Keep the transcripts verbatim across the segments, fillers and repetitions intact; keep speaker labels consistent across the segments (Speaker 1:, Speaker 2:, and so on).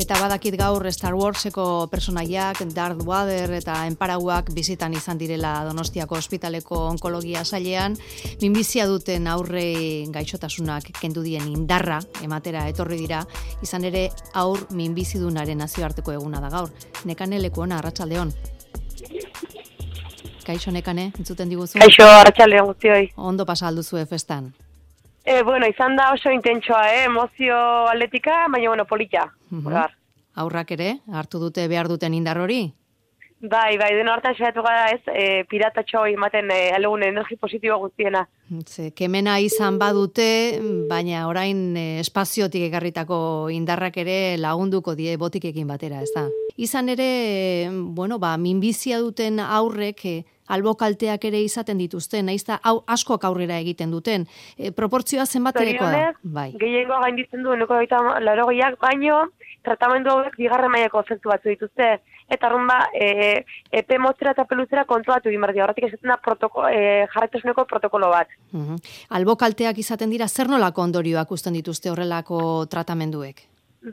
Speaker 1: Eta badakit gaur Star Warseko personaiak, Darth Vader eta enparauak bizitan izan direla Donostiako ospitaleko onkologia sailean, minbizia duten aurre gaixotasunak kendu dien indarra ematera etorri dira, izan ere aur minbizidunaren nazioarteko eguna da gaur. Nekane Lekuona, arratsaldeon. Kaixo Nekane, entzuten diguzu?
Speaker 2: Kaixo, arratsaldeon guztioi.
Speaker 1: Ondo pasa alduzue festan?
Speaker 2: Eh, bueno, izan da oso intentsoa, eh? Emozio atletika, baina bueno, polita.
Speaker 1: Uh-huh. Aurrak ere, hartu dute behar duten indar hori?
Speaker 2: Bai, bai, deno hartan saiatu gara ez, e, piratatxo ematen e, alegun energi positibo guztiena.
Speaker 1: Ze, kemena izan badute, baina orain e, espaziotik ekarritako indarrak ere lagunduko die botikekin batera, ez da? Izan ere, e, bueno, ba, minbizia duten aurrek e, albokalteak ere izaten dituzten, naiz da hau askok aurrera egiten duten. E, proportzioa zenbatekoa da? Bai.
Speaker 2: Gehiengoa gainditzen du, eneko gaita laurogeiak, baino, tratamendu hauek bigarren mailako efektu batzu dituzte. Eta arrumba, e, epe motzera eta peluzera kontrolatu egin behar dira. Horretik esaten da protoko, e, jarraitasuneko protokolo bat.
Speaker 1: Uh-huh. Albokalteak izaten dira, zer nolako ondorioak usten dituzte horrelako tratamenduek?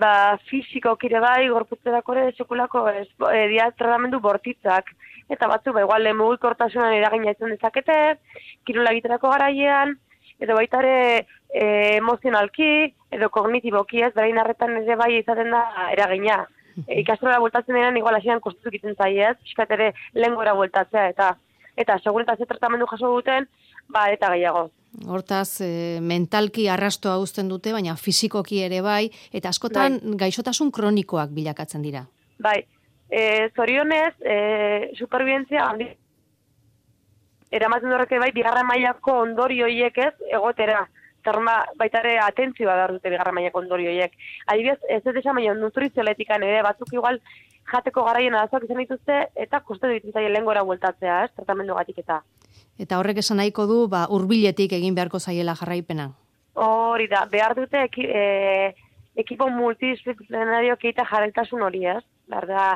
Speaker 2: Ba, fisiko kire bai, gorputzerako ere, sekulako, ez, e, dia tratamendu bortitzak. Eta batzu, ba, igual, mugikortasunan eragina izan dezakete, kirola egiterako garaian, edo baita ere e, emozionalki, edo kognitiboki ez, berain arretan ere bai izaten da eragina. E, ikastrola bueltatzen denean, igual hasian kostutuk iten zaiez, piskat ere lengora bueltatzea, eta eta seguretazio tratamendu jaso duten, ba, eta gehiago.
Speaker 1: Hortaz, e, mentalki arrastoa uzten dute, baina fisikoki ere bai, eta askotan bai. Gaixotasun kronikoak bilakatzen dira. Bai,
Speaker 2: e, zorionez, e, superbientzia handi, eramaten horreke bai, bigarren mailako ondorio hiek ez, egotera. Zerma, baita ere atentzioa behar dute bigarren mailako ondorio horiek. Adibidez, ez ez esan baina nutrizioletika ere, batzuk igual jateko garaien arazoak izan dituzte, eta koste ditzen zaie lehengora bueltatzea, ez, tratamendu gatik eta.
Speaker 1: Eta horrek esan nahiko du, ba, hurbiletik egin beharko zaiela jarraipena.
Speaker 2: Hori da, behar dute eki, e, ekipo multidisciplinario keita jarraitasun hori, ez? Behar da,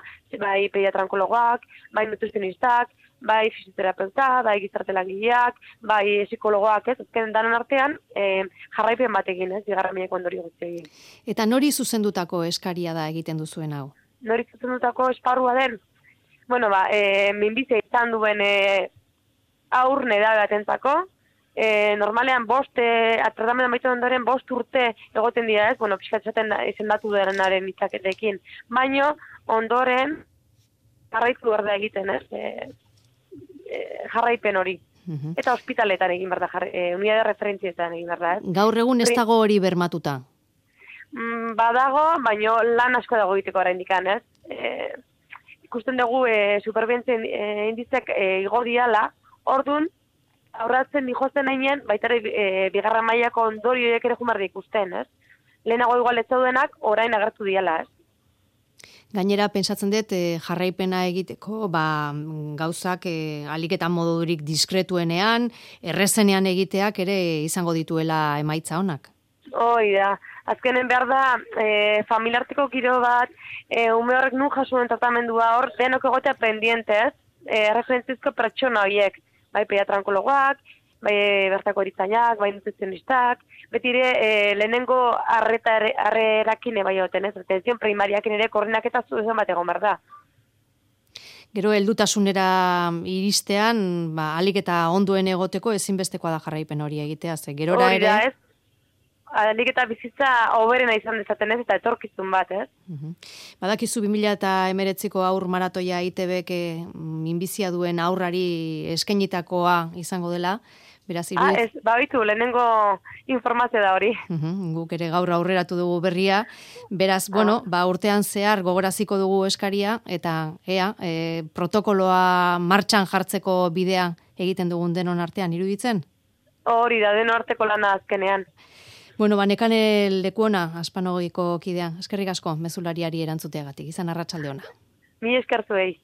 Speaker 2: bai pediatrankologoak, bai nutrizionistak, bai fisioterapeuta, bai gizartelagileak, bai psikologoak, ez, azken danon artean, e, jarraipen batekin, ez, bigarren mailako ondorio guzti.
Speaker 1: Eta nori zuzendutako eskaria da egiten duzuen hau?
Speaker 2: Nori zuzendutako esparrua den? Bueno, ba, e, minbizia izan duen e, aur neda batentzako, e, normalean bost, e, tratamendu amaitu ondoren bost urte egoten dira, ez, bueno, pixkatzaten izendatu denaren itzaketekin, baino ondoren jarraitu behar da egiten, ez, e, jarraipen hori. Uh-huh. Eta ospitaletan egin behar da, e, unidade referentzietan egin behar da. Ez?
Speaker 1: Gaur egun ez dago hori bermatuta?
Speaker 2: Mm, badago, baino lan asko dago egiteko oraindikan, ez? E, ikusten dugu e, superbientzien e, indizek e, igo diala, ordun aurratzen dijozen hainen, baita ere e, bigarren mailako ondorioek ere jumar ikusten, ez? Lehenago igual ez zaudenak, orain agertu diala, ez?
Speaker 1: Gainera, pentsatzen dut, eh, jarraipena egiteko, ba, gauzak eh, aliketan modurik diskretuenean, errezenean egiteak ere izango dituela emaitza honak.
Speaker 2: Hoi da, azkenen behar da, e, familiarteko giro bat, e, ume horrek nun jasuen tratamendua hor, denok egotea pendientez, e, referentzizko pertsona horiek, bai pediatrankologoak, bai bertako eritzainak, bai nutrizionistak, beti ere e, lehenengo arrerakine bai hoten, ez, atenzion primariakin ere koordinak eta zuzen bat egon behar da.
Speaker 1: Gero, heldutasunera iristean, ba, alik eta onduen egoteko ezinbestekoa da jarraipen hori egitea, ze gerora ere...
Speaker 2: Hori da, ez? Alik eta bizitza oberena izan dezaten ez, eta etorkizun bat, ez?
Speaker 1: Uh-huh. Badakizu bi mila hemeretziko aur maratoia I T Bek minbizia duen aurrari eskainitakoa izango dela, beraz
Speaker 2: irudit... Ah, ez, babitu, lehenengo informazio da hori.
Speaker 1: Uh-huh. Guk ere gaur aurreratu dugu berria, beraz, ah. bueno, ba, urtean zehar gogoraziko dugu eskaria, eta ea, e, protokoloa martxan jartzeko bidea egiten dugun denon artean, iruditzen?
Speaker 2: Hori da, denon arteko lana azkenean.
Speaker 1: Bueno, ba, Nekane Lekuona, Aspanogiko kidea. Eskerrik asko, mezulariari erantzuteagatik. Izan arratsalde ona.
Speaker 2: Mi eskertuei.